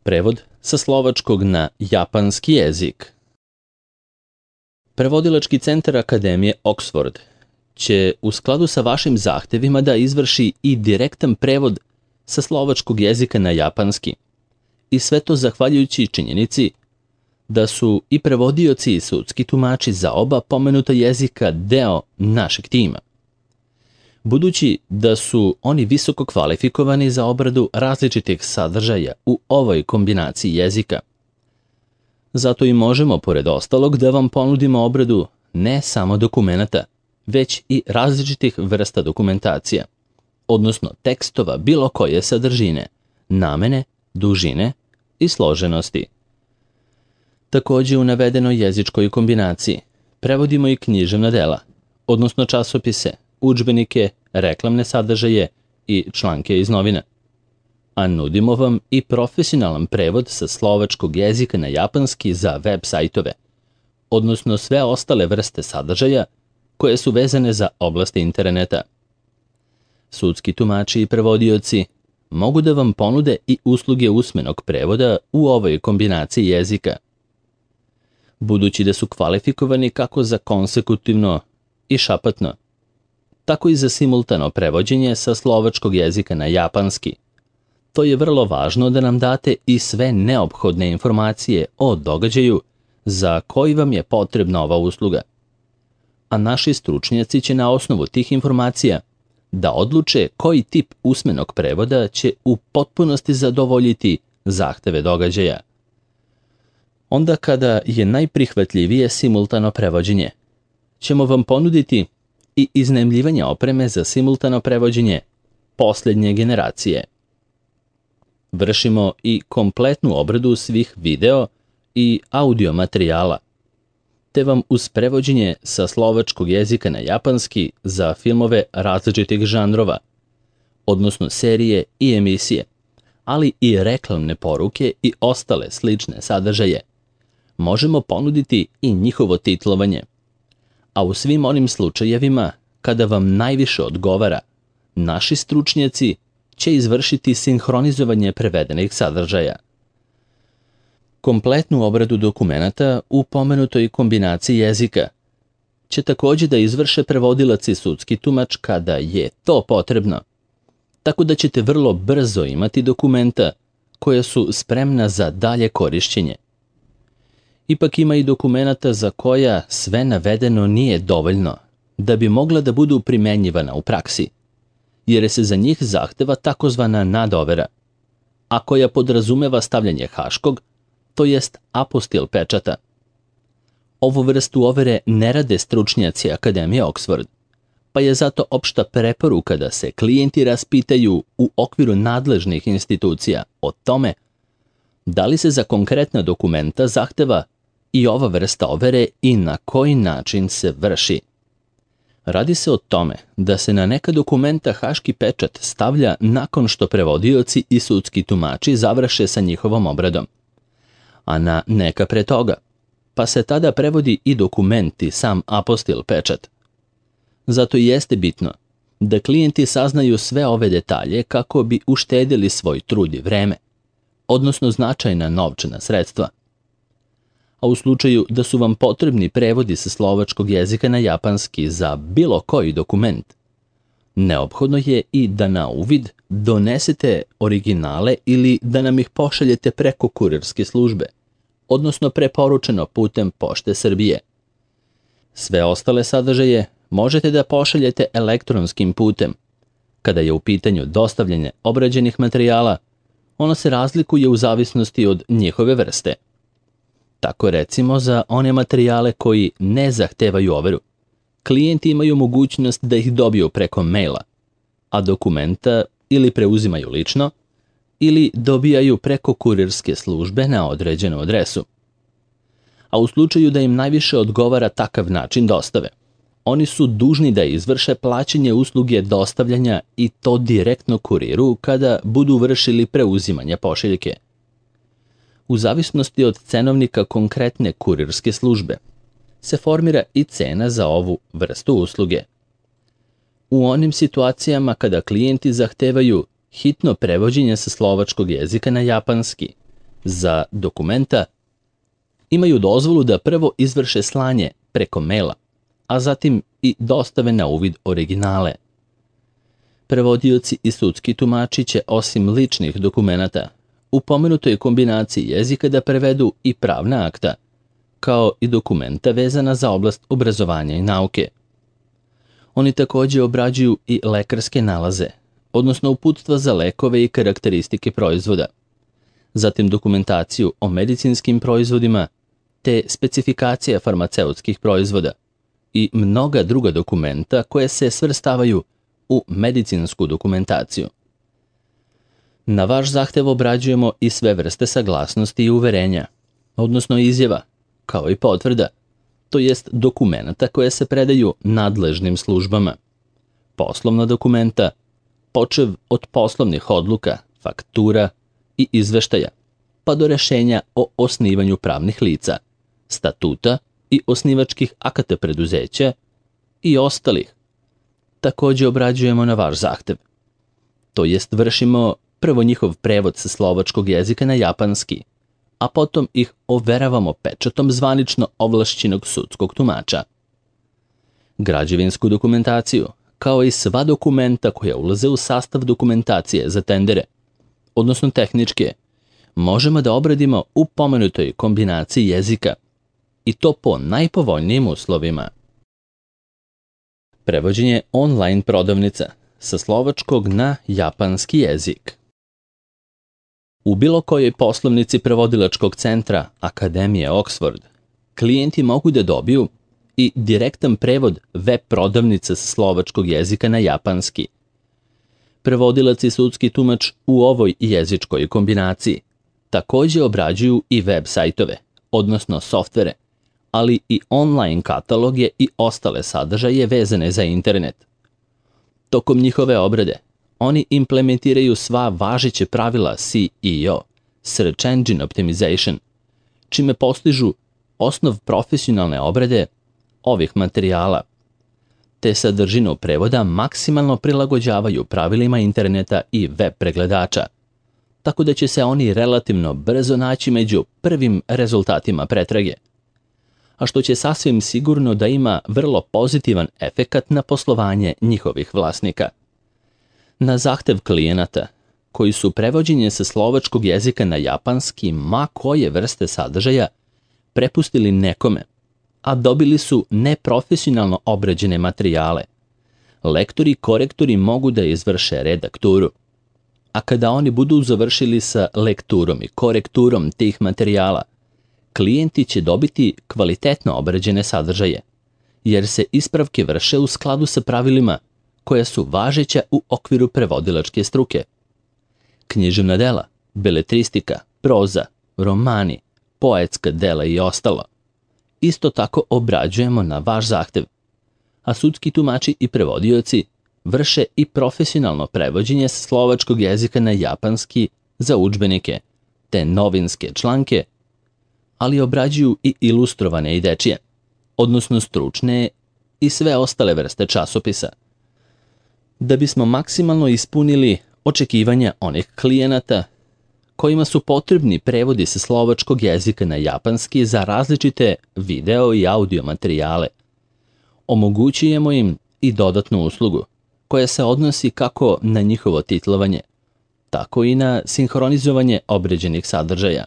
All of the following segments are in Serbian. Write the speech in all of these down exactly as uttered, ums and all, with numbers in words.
Prevod sa slovačkog na japanski jezik. Prevodilački centar Akademije Oxford će u skladu sa vašim zahtevima da izvrši i direktan prevod sa slovačkog jezika na japanski. I sve to zahvaljujući činjenici da su i prevodioci i sudski tumači za oba pomenuta jezika deo našeg tima. Budući da su oni visoko kvalifikovani za obradu različitih sadržaja u ovoj kombinaciji jezika. Zato i možemo, pored ostalog, da vam ponudimo obradu ne samo dokumenata, već i različitih vrsta dokumentacija, odnosno tekstova bilo koje sadržine, namene, dužine i složenosti. Takođe u navedenoj jezičkoj kombinaciji prevodimo i književna dela, odnosno časopise, udžbenike, reklamne sadržaje i članke iz novina. A nudimo vam i profesionalan prevod sa slovačkog jezika na japanski za web sajtove, odnosno sve ostale vrste sadržaja koje su vezane za oblasti interneta. Sudski tumači i prevodioci mogu da vam ponude i usluge usmenog prevoda u ovoj kombinaciji jezika. Budući da su kvalifikovani kako za konsekutivno i šapatno, tako i za simultano prevođenje sa slovačkog jezika na japanski. To je vrlo važno da nam date i sve neophodne informacije o događaju za koji vam je potrebna ova usluga. A naši stručnjaci će na osnovu tih informacija da odluče koji tip usmenog prevoda će u potpunosti zadovoljiti zahteve događaja. Onda kada je najprihvatljivije simultano prevođenje, ćemo vam ponuditi i iznajmljivanje opreme za simultano prevođenje posljednje generacije. Vršimo i kompletnu obradu svih video i audio materijala, te vam uz prevođenje sa slovačkog jezika na japanski za filmove različitih žanrova, odnosno serije i emisije, ali i reklamne poruke i ostale slične sadržaje, možemo ponuditi i njihovo titlovanje. A u svim onim slučajevima kada vam najviše odgovara, naši stručnjaci će izvršiti sinhronizovanje prevedenih sadržaja. Kompletnu obradu dokumenata u pomenutoj kombinaciji jezika će takođe da izvrše prevodilac i sudski tumač kada je to potrebno, tako da ćete vrlo brzo imati dokumenta koja su spremna za dalje korišćenje. Ipak ima i dokumenata za koja sve navedeno nije dovoljno da bi mogla da budu primenjivana u praksi, jer se za njih zahteva takozvana nadovera, a koja podrazumeva stavljanje haškog, to jest apostil pečata. Ovu vrstu overe ne rade stručnjaci Akademije Oxford, pa je zato opšta preporuka da se klijenti raspitaju u okviru nadležnih institucija o tome da li se za konkretna dokumenta zahteva i ova vrsta overe i na koji način se vrši. Radi se o tome da se na neka dokumenta haški pečat stavlja nakon što prevodioci i sudski tumači završe sa njihovom obradom, a na neka pre toga, pa se tada prevodi i dokument i sam apostil pečat. Zato i jeste bitno da klijenti saznaju sve ove detalje kako bi uštedili svoj trud i vreme, odnosno značajna novčana sredstva. A u slučaju da su vam potrebni prevodi sa slovačkog jezika na japanski za bilo koji dokument, neophodno je i da na uvid donesete originale ili da nam ih pošaljete preko kurirske službe, odnosno preporučeno putem Pošte Srbije. Sve ostale sadržaje možete da pošaljete elektronskim putem. Kada je u pitanju dostavljanje obrađenih materijala, ono se razlikuje u zavisnosti od njihove vrste. Tako recimo za one materijale koji ne zahtevaju overu, klijenti imaju mogućnost da ih dobiju preko maila, a dokumenta ili preuzimaju lično ili dobijaju preko kurirske službe na određenu adresu. A u slučaju da im najviše odgovara takav način dostave, oni su dužni da izvrše plaćanje usluge dostavljanja i to direktno kuriru kada budu vršili preuzimanje pošiljke. U zavisnosti od cenovnika konkretne kurirske službe se formira i cena za ovu vrstu usluge. U onim situacijama kada klijenti zahtevaju hitno prevođenje sa slovačkog jezika na japanski za dokumenta imaju dozvolu da prvo izvrše slanje preko maila, a zatim i dostave na uvid originale. Prevodioci i sudski tumači će osim ličnih dokumenata u pomenutoj kombinaciji jezika da prevedu i pravna akta, kao i dokumenta vezana za oblast obrazovanja i nauke. Oni također obrađuju i lekarske nalaze, odnosno uputstva za lekove i karakteristike proizvoda, zatim dokumentaciju o medicinskim proizvodima te specifikacija farmaceutskih proizvoda i mnoga druga dokumenta koje se svrstavaju u medicinsku dokumentaciju. Na vaš zahtev obrađujemo i sve vrste saglasnosti i uverenja, odnosno izjava, kao i potvrda, to jest dokumenta koje se predaju nadležnim službama, poslovna dokumenta, počev od poslovnih odluka, faktura i izveštaja, pa do rešenja o osnivanju pravnih lica, statuta i osnivačkih akata preduzeća i ostalih. Također obrađujemo na vaš zahtev. To jest vršimo prvo njihov prevod sa slovačkog jezika na japanski, a potom ih overavamo pečatom zvanično ovlašćenog sudskog tumača. Građevinsku dokumentaciju, kao i sva dokumenta koja ulaze u sastav dokumentacije za tendere, odnosno tehničke, možemo da obradimo u pomenutoj kombinaciji jezika, i to po najpovoljnijim uslovima. Prevođenje online prodavnica sa slovačkog na japanski jezik. U bilo kojoj poslovnici prevodilačkog centra Akademije Oxford, klijenti mogu da dobiju i direktan prevod web prodavnice sa slovačkog jezika na japanski. Prevodilac i sudski tumač u ovoj jezičkoj kombinaciji također obrađuju i web sajtove, odnosno softvere, ali i online kataloge i ostale sadržaje vezane za internet. Tokom njihove obrade, oni implementiraju sva važeće pravila S E O, Search Engine Optimization, čime postižu osnov profesionalne obrade ovih materijala, te sadržinu prevoda maksimalno prilagođavaju pravilima interneta i web pregledača, tako da će se oni relativno brzo naći među prvim rezultatima pretrage, a što će sasvim sigurno da ima vrlo pozitivan efekat na poslovanje njihovih vlasnika. Na zahtev klijenata, koji su prevođenje sa slovačkog jezika na japanski ma koje vrste sadržaja prepustili nekome, a dobili su neprofesionalno obrađene materijale, lektori i korektori mogu da izvrše redakturu. A kada oni budu završili sa lekturom i korekturom tih materijala, klijenti će dobiti kvalitetno obrađene sadržaje, jer se ispravke vrše u skladu sa pravilima koja su važeća u okviru prevodilačke struke. Književna dela, beletristika, proza, romani, poetska dela i ostalo isto tako obrađujemo na vaš zahtev, a sudski tumači i prevodioci vrše i profesionalno prevođenje s slovačkog jezika na japanski za udžbenike te novinske članke, ali obrađuju i ilustrovane i dečije, odnosno stručne i sve ostale vrste časopisa. Da bismo maksimalno ispunili očekivanja onih klijenata kojima su potrebni prevodi sa slovačkog jezika na japanski za različite video i audio materijale, omogućujemo im i dodatnu uslugu koja se odnosi kako na njihovo titlovanje, tako i na sinhronizovanje obrađenih sadržaja.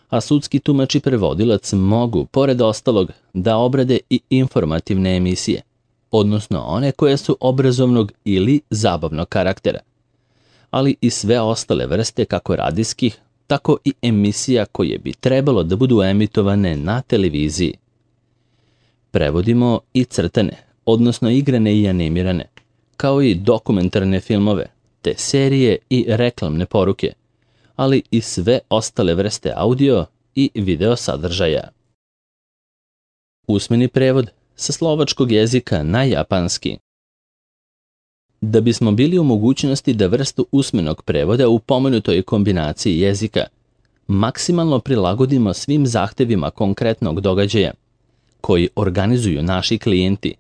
A sudski tumač i prevodilac mogu, pored ostalog, da obrade i informativne emisije, odnosno one koje su obrazovnog ili zabavnog karaktera, ali i sve ostale vrste kako radijskih, tako i emisija koje bi trebalo da budu emitovane na televiziji. Prevodimo i crtane, odnosno igrane i animirane, kao i dokumentarne filmove, te serije i reklamne poruke, ali i sve ostale vrste audio i video sadržaja. Usmeni prevod sa slovačkog jezika na japanski. Da bismo bili u mogućnosti da vrstu usmenog prevoda u pomenutoj kombinaciji jezika maksimalno prilagodimo svim zahtevima konkretnog događaja koji organizuju naši klijenti,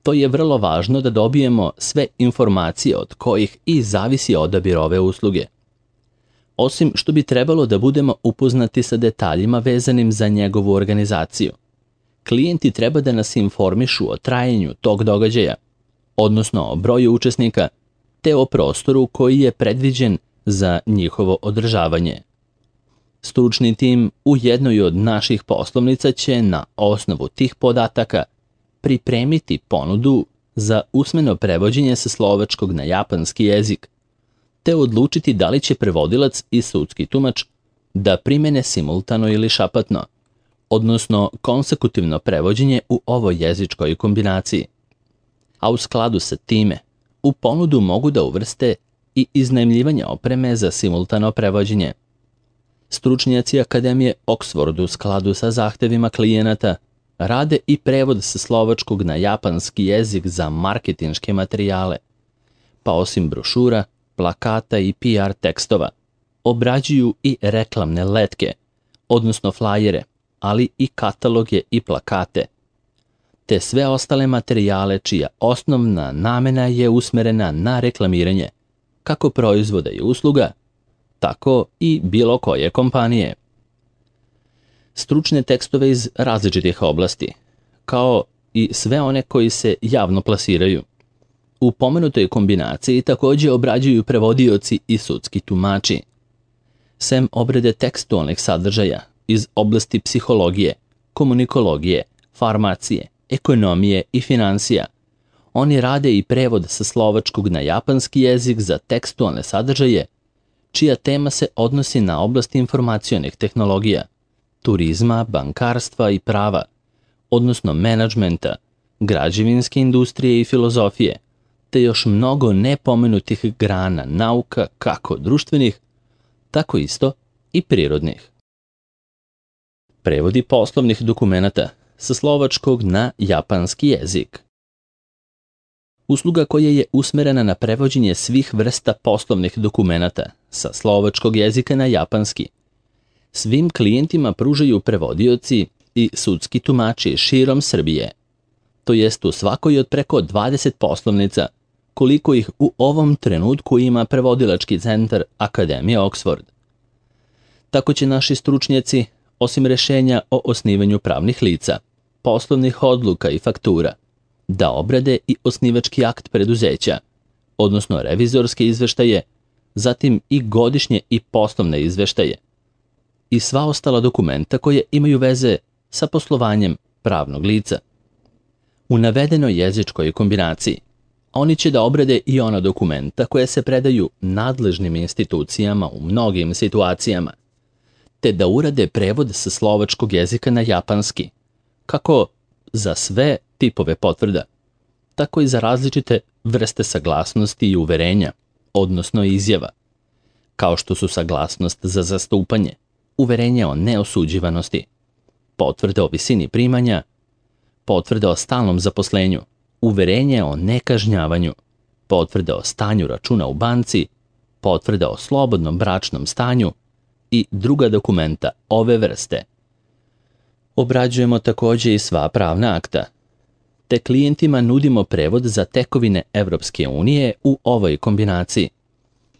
to je vrlo važno da dobijemo sve informacije od kojih i zavisi odabir ove usluge. osim što bi trebalo da budemo upoznati sa detaljima vezanim za njegovu organizaciju. Klijenti treba da nas informišu o trajanju tog događaja, odnosno o broju učesnika, te o prostoru koji je predviđen za njihovo održavanje. Stručni tim u jednoj od naših poslovnica će na osnovu tih podataka pripremiti ponudu za usmeno prevođenje sa slovačkog na japanski jezik, te odlučiti da li će prevodilac i sudski tumač da primene simultano ili šapatno, odnosno konsekutivno prevođenje u ovoj jezičkoj kombinaciji. A u skladu sa time, u ponudu mogu da uvrste i iznajmljivanje opreme za simultano prevođenje. Stručnjaci Akademije Oxford u skladu sa zahtevima klijenata rade i prevod sa slovačkog na japanski jezik za marketinške materijale, pa osim brošura, plakata i P R tekstova, obrađuju i reklamne letke, odnosno flajere, ali i kataloge i plakate, te sve ostale materijale čija osnovna namena je usmerena na reklamiranje, kako proizvoda i usluga, tako i bilo koje kompanije. Stručne tekstove iz različitih oblasti, kao i sve one koji se javno plasiraju, u pomenutoj kombinaciji također obrađuju prevodioci i sudski tumači. Sem obrade tekstualnih sadržaja iz oblasti psihologije, komunikologije, farmacije, ekonomije i financija, oni rade i prevod sa slovačkog na japanski jezik za tekstualne sadržaje, čija tema se odnosi na oblast informacionih tehnologija, turizma, bankarstva i prava, odnosno menadžmenta, građevinske industrije i filozofije, te još mnogo nepomenutih grana nauka kako društvenih, tako isto i prirodnih. Prevodi poslovnih dokumenata sa slovačkog na japanski jezik. Usluga koja je usmerena na prevođenje svih vrsta poslovnih dokumenata sa slovačkog jezika na japanski. Svim klijentima pružaju prevodioci i sudski tumači širom Srbije, to jest u svakoj od preko dvadeset poslovnica, koliko ih u ovom trenutku ima prevodilački centar Akademije Oxford. Tako će naši stručnjaci, osim rešenja o osnivanju pravnih lica, poslovnih odluka i faktura, da obrade i osnivački akt preduzeća, odnosno revizorske izveštaje, zatim i godišnje i poslovne izveštaje, i sva ostala dokumenta koje imaju veze sa poslovanjem pravnog lica. U navedenoj jezičkoj kombinaciji oni će da obrade i ona dokumenta koje se predaju nadležnim institucijama u mnogim situacijama, te da urade prevod sa slovačkog jezika na japanski, kako za sve tipove potvrda, tako i za različite vrste saglasnosti i uverenja, odnosno izjava, kao što su saglasnost za zastupanje, uverenje o neosuđivanosti, potvrde o visini primanja, potvrde o stalnom zaposlenju, uverenje o nekažnjavanju, potvrde o stanju računa u banci, potvrde o slobodnom bračnom stanju i druga dokumenta ove vrste. Obrađujemo također i sva pravna akta, te klijentima nudimo prevod za tekovine Evropske unije u ovoj kombinaciji,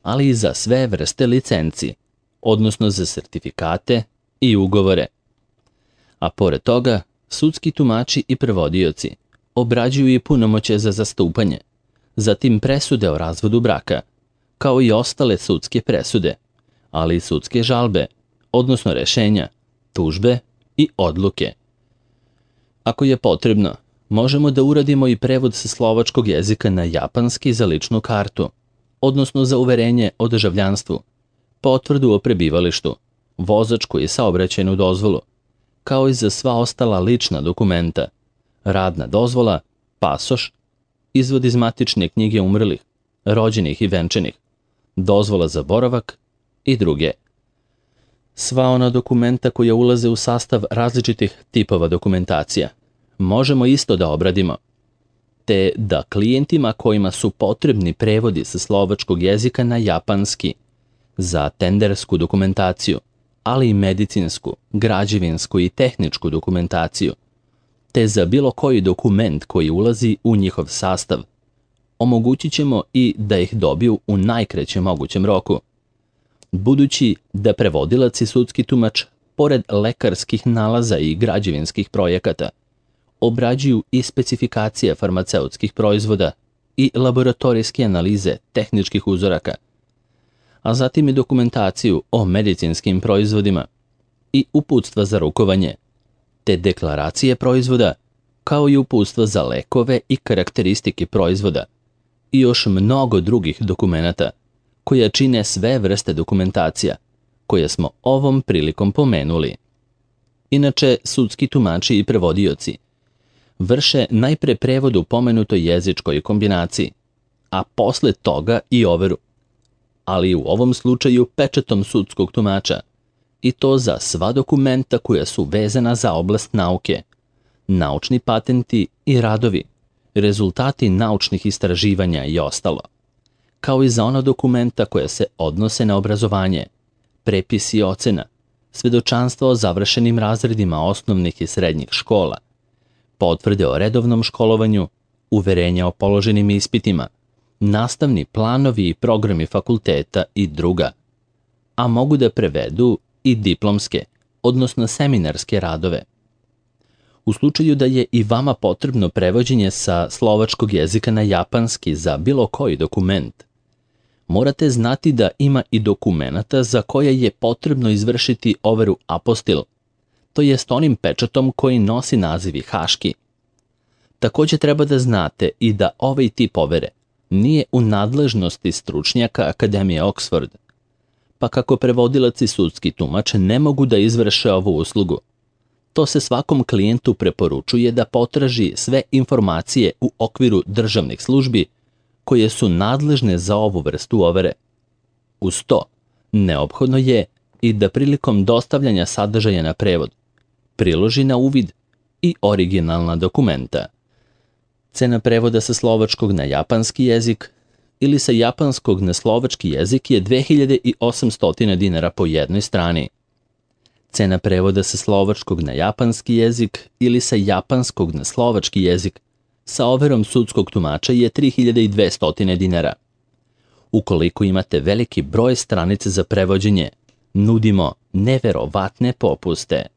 ali i za sve vrste licenci, odnosno za sertifikate i ugovore. A pored toga, sudski tumači i prevodioci obrađuju i punomoćje za zastupanje, zatim presude o razvodu braka, kao i ostale sudske presude, ali i sudske žalbe, odnosno rešenja, tužbe i odluke. Ako je potrebno, možemo da uradimo i prevod sa slovačkog jezika na japanski za ličnu kartu, odnosno za uverenje o državljanstvu, potvrdu o prebivalištu, vozačku i saobraćajnu dozvolu, kao i za sva ostala lična dokumenta, radna dozvola, pasoš, izvod iz matične knjige umrlih, rođenih i venčanih, dozvola za boravak i druge. Sva ona dokumenta koja ulaze u sastav različitih tipova dokumentacija možemo isto da obradimo, te da klijentima kojima su potrebni prevodi sa slovačkog jezika na japanski za tendersku dokumentaciju, ali i medicinsku, građevinsku i tehničku dokumentaciju, te za bilo koji dokument koji ulazi u njihov sastav, omogućit ćemo i da ih dobiju u najkraćem mogućem roku. budući da prevodilac i sudski tumač, pored lekarskih nalaza i građevinskih projekata, obrađuju i specifikacije farmaceutskih proizvoda i laboratorijske analize tehničkih uzoraka, a zatim i dokumentaciju o medicinskim proizvodima i uputstva za rukovanje, te deklaracije proizvoda, kao i uputstva za lekove i karakteristike proizvoda i još mnogo drugih dokumenata, koja čine sve vrste dokumentacija, koje smo ovom prilikom pomenuli. Inače, sudski tumači i prevodioci vrše najpre prevod u pomenutoj jezičkoj kombinaciji, a posle toga i overu, ali u ovom slučaju pečatom sudskog tumača, i to za sva dokumenta koja su vezana za oblast nauke, naučni patenti i radovi, rezultati naučnih istraživanja i ostalo, kao i za ona dokumenta koja se odnose na obrazovanje, prepisi ocena, svedočanstva o završenim razredima osnovnih i srednjih škola, potvrde o redovnom školovanju, uverenja o položenim ispitima, nastavni planovi i programi fakulteta i druga, a mogu da prevedu i diplomske, odnosno seminarske radove. U slučaju da je i vama potrebno prevođenje sa slovačkog jezika na japanski za bilo koji dokument, morate znati da ima i dokumenata za koje je potrebno izvršiti overu apostil, to jest onim pečatom koji nosi naziv haški. Takođe treba da znate i da ovaj tip overe nije u nadležnosti stručnjaka Akademije Oxford, pa kako prevodilac i sudski tumač ne mogu da izvrše ovu uslugu, to se svakom klijentu preporučuje da potraži sve informacije u okviru državnih službi koje su nadležne za ovu vrstu overe. Uz to, neophodno je i da prilikom dostavljanja sadržaja na prevod priloži na uvid i originalna dokumenta. Cena prevoda sa slovačkog na japanski jezik ili sa japanskog na slovački jezik je dve hiljade osamsto dinara po jednoj strani. Cena prevoda sa slovačkog na japanski jezik ili sa japanskog na slovački jezik sa overom sudskog tumača je tri hiljade dvesta dinara. Ukoliko imate veliki broj stranica za prevođenje, nudimo neverovatne popuste.